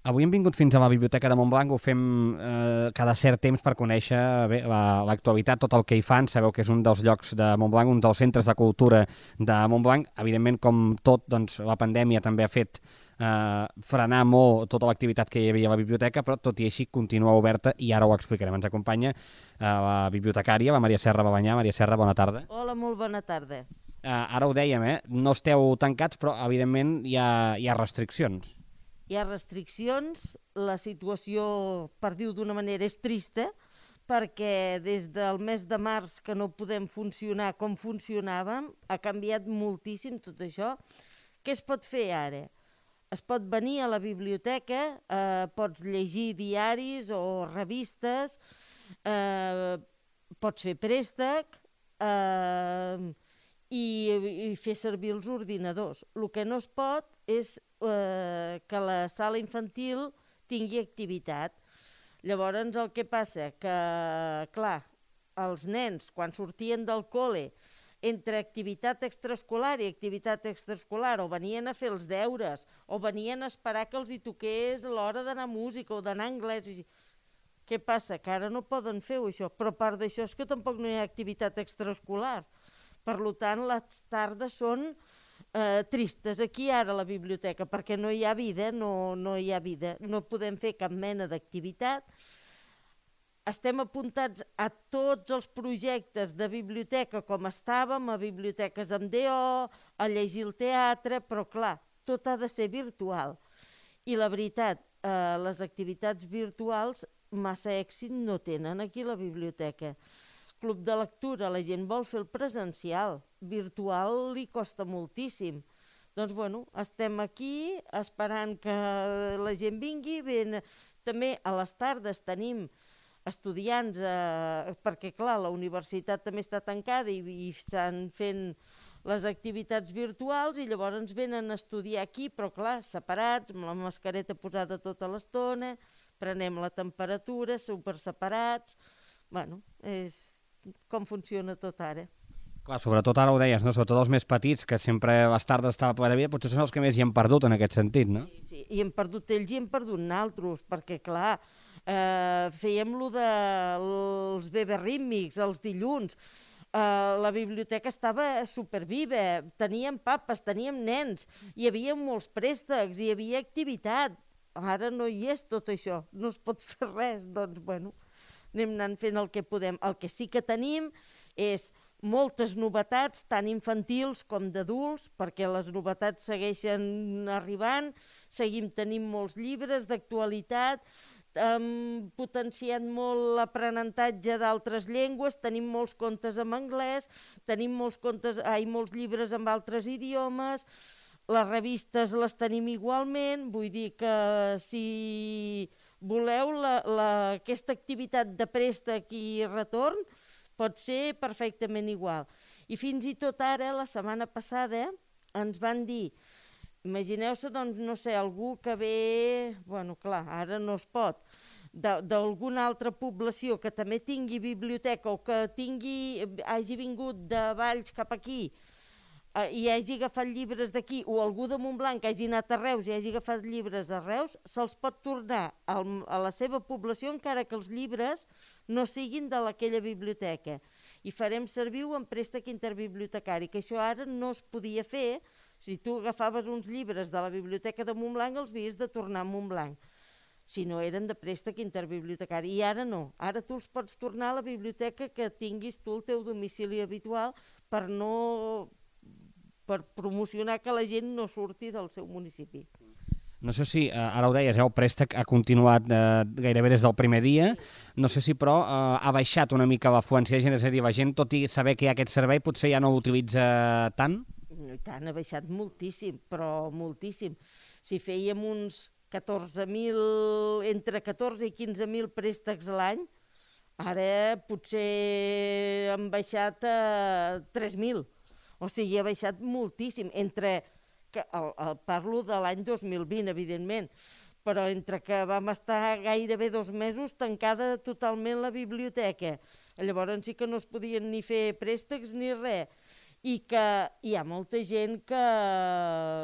Avui hem vingut fins a la Biblioteca de Montblanc, ho fem cada cert temps per conèixer l'actualitat, tot el que hi fan. Sabeu que és un dels llocs de Montblanc, un dels centres de cultura de Montblanc. Evidentment, com tot, doncs, la pandèmia també ha fet frenar molt tota l'activitat que hi havia a la biblioteca, però tot i així continua oberta i ara ho explicarem. Ens acompanya la bibliotecària, la Maria Serra Babanyà. Maria Serra, bona tarda. Hola, molt bona tarda. Ara ho dèiem, no esteu tancats, però evidentment hi ha restriccions. Hi ha restriccions, la situació, per dir-ho d'una manera, és trista, perquè des del mes de març que no podem funcionar com funcionàvem, ha canviat moltíssim tot això. Què es pot fer ara? Es pot venir a la biblioteca, pots llegir diaris o revistes, pots fer préstec i fer servir els ordinadors. El que no es pot és que la sala infantil tingui activitat. Llavors el que passa que, clar, els nens quan sortien del col·le entre activitat extraescolar i activitat extraescolar o venien a fer els deures o venien a esperar que els hi toqués l'hora d'anar a música o d'anar a anglès. Què passa? Que ara no poden fer això, però a part d'això és que tampoc no hi ha activitat extraescolar. Per tant, les tardes són tristes aquí ara a la biblioteca, perquè no hi ha vida, no hi ha vida, no podem fer cap mena d'activitat. Estem apuntats a tots els projectes de biblioteca com estàvem, a biblioteques amb DO, a llegir el teatre, però clar, tot ha de ser virtual. I la veritat, les activitats virtuals massa èxit no tenen aquí a la biblioteca. Club de lectura, la gent vol fer el presencial, virtual li costa moltíssim. Doncs bueno, estem aquí esperant que la gent vingui. També a les tardes tenim estudiants, perquè clar, la universitat també està tancada i estan fent les activitats virtuals i llavors ens venen a estudiar aquí, però clar, separats, amb la mascareta posada tota l'estona, prenem la temperatura, super separats. Bueno, és com funciona tot ara. Clar, sobretot ara ho deies, no? Sobretot els més petits, que sempre a les tardes estava ple de vida, potser són els que més hi han perdut en aquest sentit, no? Sí, i hem perdut ells i hem perdut naltros, perquè clar, fèiem lo dels beberrítmics, els dilluns, la biblioteca estava superviva, teníem papes, teníem nens, hi havia molts préstecs, hi havia activitat. Ara no hi és tot això, no es pot fer res, doncs bueno, anem anant fent el que podem. El que sí que tenim és moltes novetats, tant infantils com d'adults, perquè les novetats segueixen arribant, seguim tenint molts llibres d'actualitat, hem potenciat molt l'aprenentatge d'altres llengües, tenim molts contes en anglès, tenim molts llibres en altres idiomes, les revistes les tenim igualment, vull dir que si voleu aquesta activitat de préstec i retorn pot ser perfectament igual. I fins i tot ara, la setmana passada, ens van dir, imagineu-se, doncs, no sé, algú que ve, bueno, clar, ara no es pot, d'alguna altra població que també tingui biblioteca o que hagi vingut de Valls cap aquí i hagi agafat llibres d'aquí, o algú de Montblanc que hagi anat a Reus i hagi agafat llibres a Reus, se'ls pot tornar a la seva població encara que els llibres no siguin d'aquella biblioteca. I farem servir-ho en préstec interbibliotecari, que això ara no es podia fer. Si tu agafaves uns llibres de la biblioteca de Montblanc, els havies de tornar a Montblanc, si no eren de préstec interbibliotecari. I ara no, ara tu els pots tornar a la biblioteca que tinguis tu el teu domicili habitual per promocionar que la gent no surti del seu municipi. No sé si, ara ho deies, el préstec ha continuat gairebé des del primer dia, no sé si però ha baixat una mica l'afluència de gent, és a dir, la gent, tot i saber que hi ha aquest servei, potser ja no l'utilitza tant? I tant, ha baixat moltíssim, però moltíssim. Si fèiem uns 14.000, entre 14 i 15.000 préstecs a l'any, ara potser han baixat a 3.000. O sigui, ha baixat moltíssim, parlo de l'any 2020, evidentment, però entre que vam estar gairebé 2 mesos tancada totalment la biblioteca, llavors sí que no es podien ni fer préstecs ni res, i que hi ha molta gent que,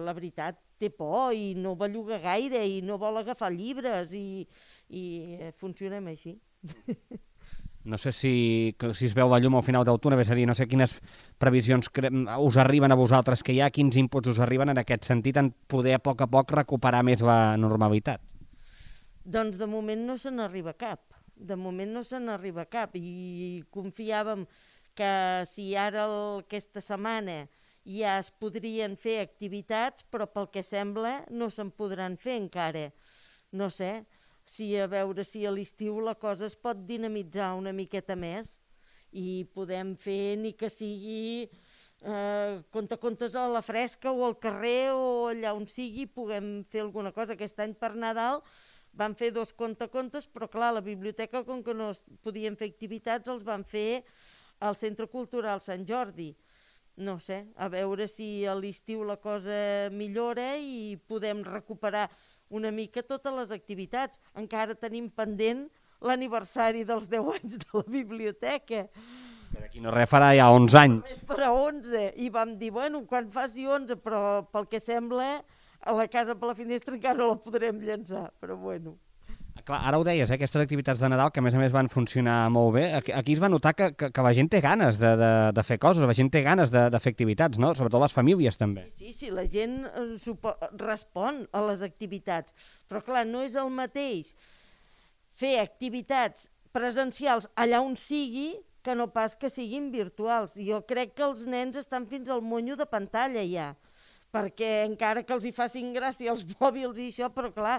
la veritat, té por i no belluga gaire i no vol agafar llibres i funcionem així. No sé si es veu la llum al final del túnel, és a dir, no sé quines previsions us arriben a vosaltres que hi ha, quins inputs us arriben en aquest sentit en poder a poc recuperar més la normalitat. Doncs de moment no se n'arriba cap. De moment no se n'arriba cap i confiàvem que si ara aquesta setmana ja es podrien fer activitats, però pel que sembla no se'n podran fer encara. No sé, a veure si a l'estiu la cosa es pot dinamitzar una miqueta més i podem fer ni que sigui contes a la fresca o al carrer o allà on sigui, puguem fer alguna cosa. Aquest any per Nadal van fer 2 contes, però clar, a la biblioteca, com que no es podien fer activitats, els van fer al Centre Cultural Sant Jordi. No sé, a veure si a l'estiu la cosa millora i podem recuperar una mica totes les activitats. Encara tenim pendent l'aniversari dels 10 anys de la biblioteca. Per aquí no res farà ja 11 anys. Farà 11, i vam dir, bueno, quan faci 11, però pel que sembla, a la casa per la finestra encara no la podrem llançar, però bueno. Clar, ara ho deies, aquestes activitats de Nadal, que a més van funcionar molt bé, aquí es va notar que la gent té ganes de fer coses, la gent té ganes de fer activitats, no? Sobretot les famílies també. Sí, la gent respon a les activitats, però clar, no és el mateix fer activitats presencials allà on sigui que no pas que siguin virtuals. Jo crec que els nens estan fins al monyo de pantalla ja, perquè encara que els hi facin gràcia els mòbils i això, però clar,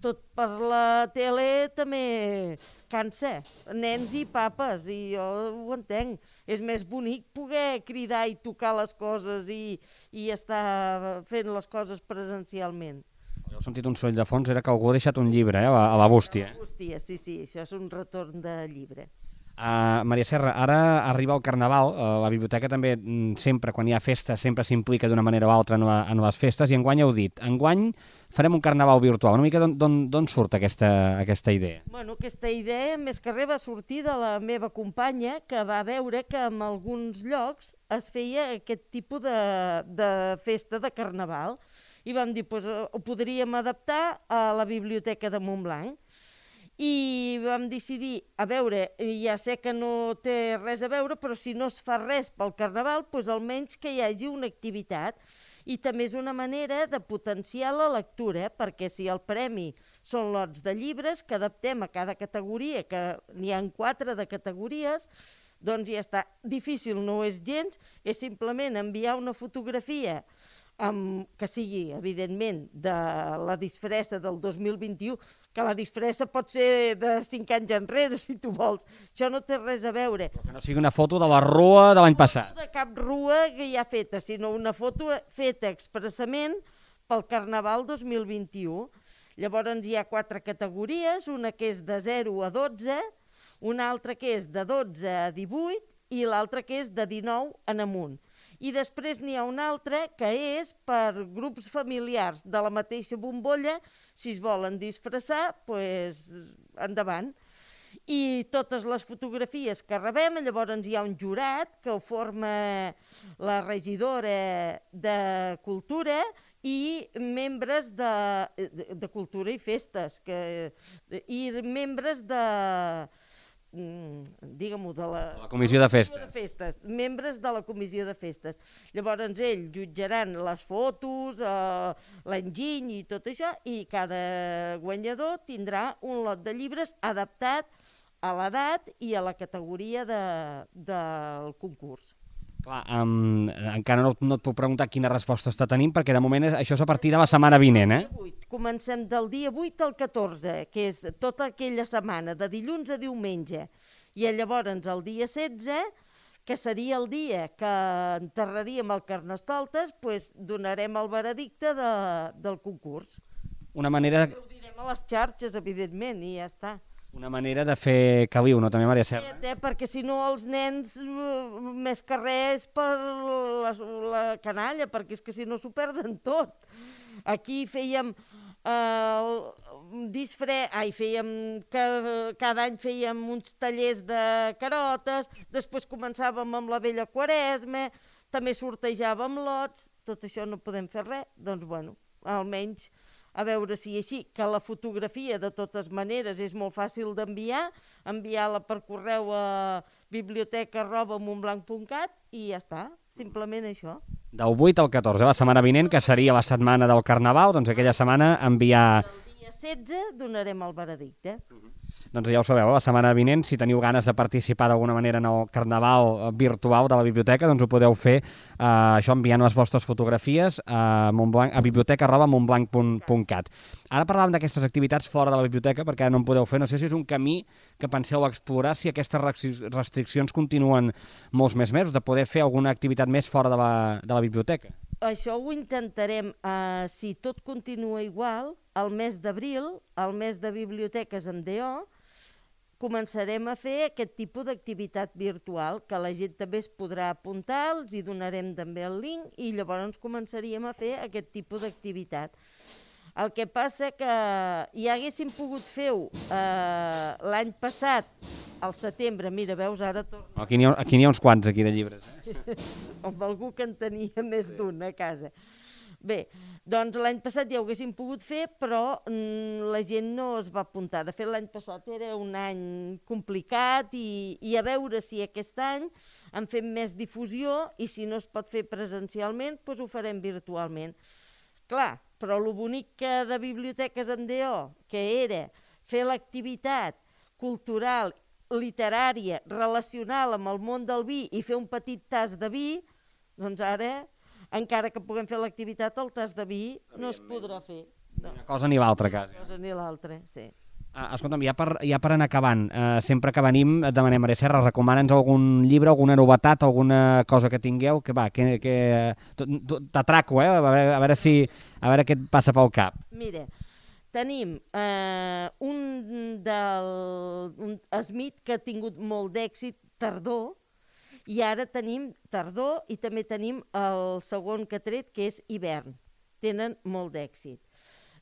tot per la tele també cansa, nens i papes, i jo ho entenc. És més bonic poder cridar i tocar les coses i estar fent les coses presencialment. Heu sentit un soroll de fons, era que algú ha deixat un llibre a la bústia. A la bústia, sí, això és un retorn de llibre. Maria Serra, ara arriba el Carnaval, la biblioteca també sempre, quan hi ha festes, sempre s'implica d'una manera o altra en les festes, i enguany heu dit, enguany farem un Carnaval virtual. Una mica d'on surt aquesta idea? Bueno, aquesta idea, més que res, va sortir de la meva companya, que va veure que en alguns llocs es feia aquest tipus de festa de Carnaval, i vam dir, doncs ho podríem adaptar a la biblioteca de Montblanc. I vam decidir, a veure, ja sé que no té res a veure, però si no es fa res pel Carnaval, doncs almenys que hi hagi una activitat. I també és una manera de potenciar la lectura, perquè si el premi són lots de llibres que adaptem a cada categoria, que n'hi ha 4 de categories, doncs ja està. Difícil no és gens, és simplement enviar una fotografia que sigui, evidentment, de la disfressa del 2021, que la disfressa pot ser de 5 anys enrere, si tu vols. Això no té res a veure. Que no sigui una foto de la rua de l'any passat. No de cap rua que ja feta, sinó una foto feta expressament pel Carnaval 2021. Llavors hi ha 4 categories, una que és de 0 a 12, una altra que és de 12 a 18 i l'altra que és de 19 en amunt. I després n'hi ha una altra que és per grups familiars de la mateixa bombolla, si es volen disfressar, doncs endavant. I totes les fotografies que rebem, llavors hi ha un jurat que ho forma la regidora de Cultura i membres de Cultura i Festes, i membres de... digue-m'ho, de la Comissió de Festes. Membres de la Comissió de Festes. Llavors ells jutjaran les fotos, l'enginy i tot això, i cada guanyador tindrà un lot de llibres adaptat a l'edat i a la categoria del concurs. Clar, encara no et puc preguntar quina resposta està tenint, perquè de moment això és a partir de la setmana vinent, Comencem del dia 8 al 14, que és tota aquella setmana, de dilluns a diumenge. I llavors el dia 16, que seria el dia que enterraríem el Carnestoltes, doncs donarem el veredicte del concurs. Una manera... Ho direm a les xarxes, evidentment, i ja està. Una manera de fer caliu, no, també, Maria Serra? Perquè si no els nens, més que res per la canalla, perquè és que si no s'ho perden tot. Aquí fèiem cada any fèiem uns tallers de carotes, després començàvem amb la vella Quaresma, també sortejàvem lots, tot això no podem fer res, doncs bueno, almenys a veure si així, que la fotografia de totes maneres és molt fàcil d'enviar, enviar-la per correu a biblioteca@montblanc.cat i ja està, simplement això. Del 8 al 14, la setmana vinent, que seria la setmana del Carnaval, doncs aquella setmana enviar... El dia 16 donarem el veredicte. Doncs ja ho sabeu, la setmana vinent, si teniu ganes de participar d'alguna manera en el Carnaval virtual de la biblioteca, doncs ho podeu fer això enviant les vostres fotografies a biblioteca@montblanc.cat. Ara parlàvem d'aquestes activitats fora de la biblioteca, perquè ara no en podeu fer. No sé si és un camí que penseu explorar, si aquestes restriccions continuen molts més mesos, de poder fer alguna activitat més fora de la biblioteca. Això ho intentarem, si tot continua igual, al mes d'abril, al mes de biblioteques en DO, començarem a fer aquest tipus d'activitat virtual, que la gent també es podrà apuntar, els hi donarem també el link i llavors començaríem a fer aquest tipus d'activitat. El que passa que ja haguéssim pogut fer-ho l'any passat, al setembre, mira, veus, ara torno. Aquí n'hi ha uns quants, aquí, de llibres. Amb algú que en tenia més d'un a casa. Bé, doncs l'any passat ja ho haguéssim pogut fer, però la gent no es va apuntar. De fet, l'any passat era un any complicat i a veure si aquest any en fem més difusió i si no es pot fer presencialment, doncs ho farem virtualment. Clar, però el bonic que de Biblioteques en DO, que era fer l'activitat cultural, literària, relacional amb el món del vi i fer un petit tas de vi, doncs ara, encara que puguem fer l'activitat, el tas de vi no es podrà fer. Ni una cosa ni l'altra, quasi. Una cosa ni l'altra, sí. Escolta'm, ja per anar acabant, sempre que venim et demanem, Maria Serra, recomana'ns algun llibre, alguna novetat, alguna cosa que tingueu, que va, que t'atraco, a veure què et passa pel cap. Mira, tenim un Smith que ha tingut molt d'èxit, Tardor, i ara tenim Tardor i també tenim el segon que ha tret, que és Hivern. Tenen molt d'èxit.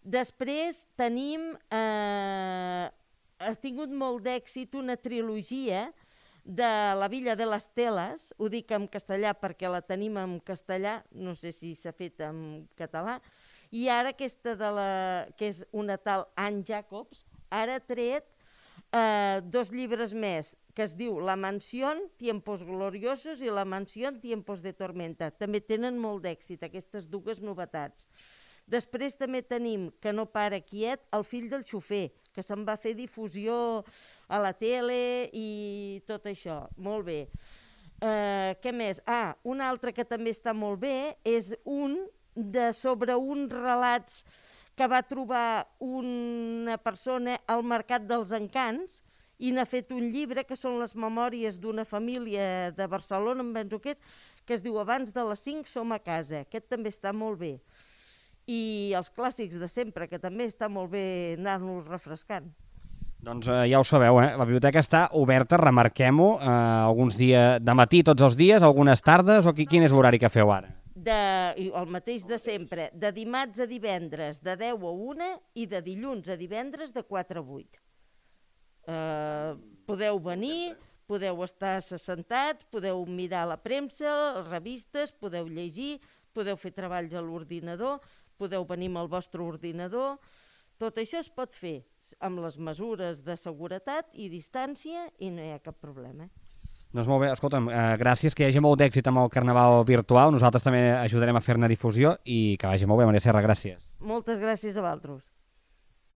Després tenim, ha tingut molt d'èxit una trilogia de La Villa de les Teles, ho dic en castellà perquè la tenim en castellà, no sé si s'ha fet en català, i ara aquesta que és una tal Anne Jacobs, ara ha tret 2 llibres més, que es diu La Mansión, Tiempos Gloriosos, i La Mansión, Tiempos de Tormenta. També tenen molt d'èxit, aquestes dues novetats. Després també tenim, que no para quiet, El fill del xofer, que se'n va fer difusió a la tele i tot això. Molt bé. Què més? Un altre que també està molt bé és sobre uns relats que va trobar una persona al Mercat dels Encants i n'ha fet un llibre que són les memòries d'una família de Barcelona, em penso que es diu Abans de les 5 som a casa. Aquest també està molt bé. I els clàssics de sempre, que també està molt bé anar-nos refrescant. Doncs ja ho sabeu, la biblioteca està oberta, remarquem-ho, alguns dies de matí tots els dies, algunes tardes, o quin és l'horari que feu ara? El mateix de sempre, de dimarts a divendres de 10 a 1 i de dilluns a divendres de 4 a 8. Podeu venir, podeu estar assentats, podeu mirar la premsa, les revistes, podeu llegir, podeu fer treballs a l'ordinador, podeu venir amb el vostre ordinador. Tot això es pot fer amb les mesures de seguretat i distància i no hi ha cap problema. Doncs molt bé, escolta'm, gràcies, que hi hagi molt d'èxit amb el Carnaval virtual. Nosaltres també ajudarem a fer-ne difusió i que vagi molt bé, Maria Serra, gràcies. Moltes gràcies a vosaltres.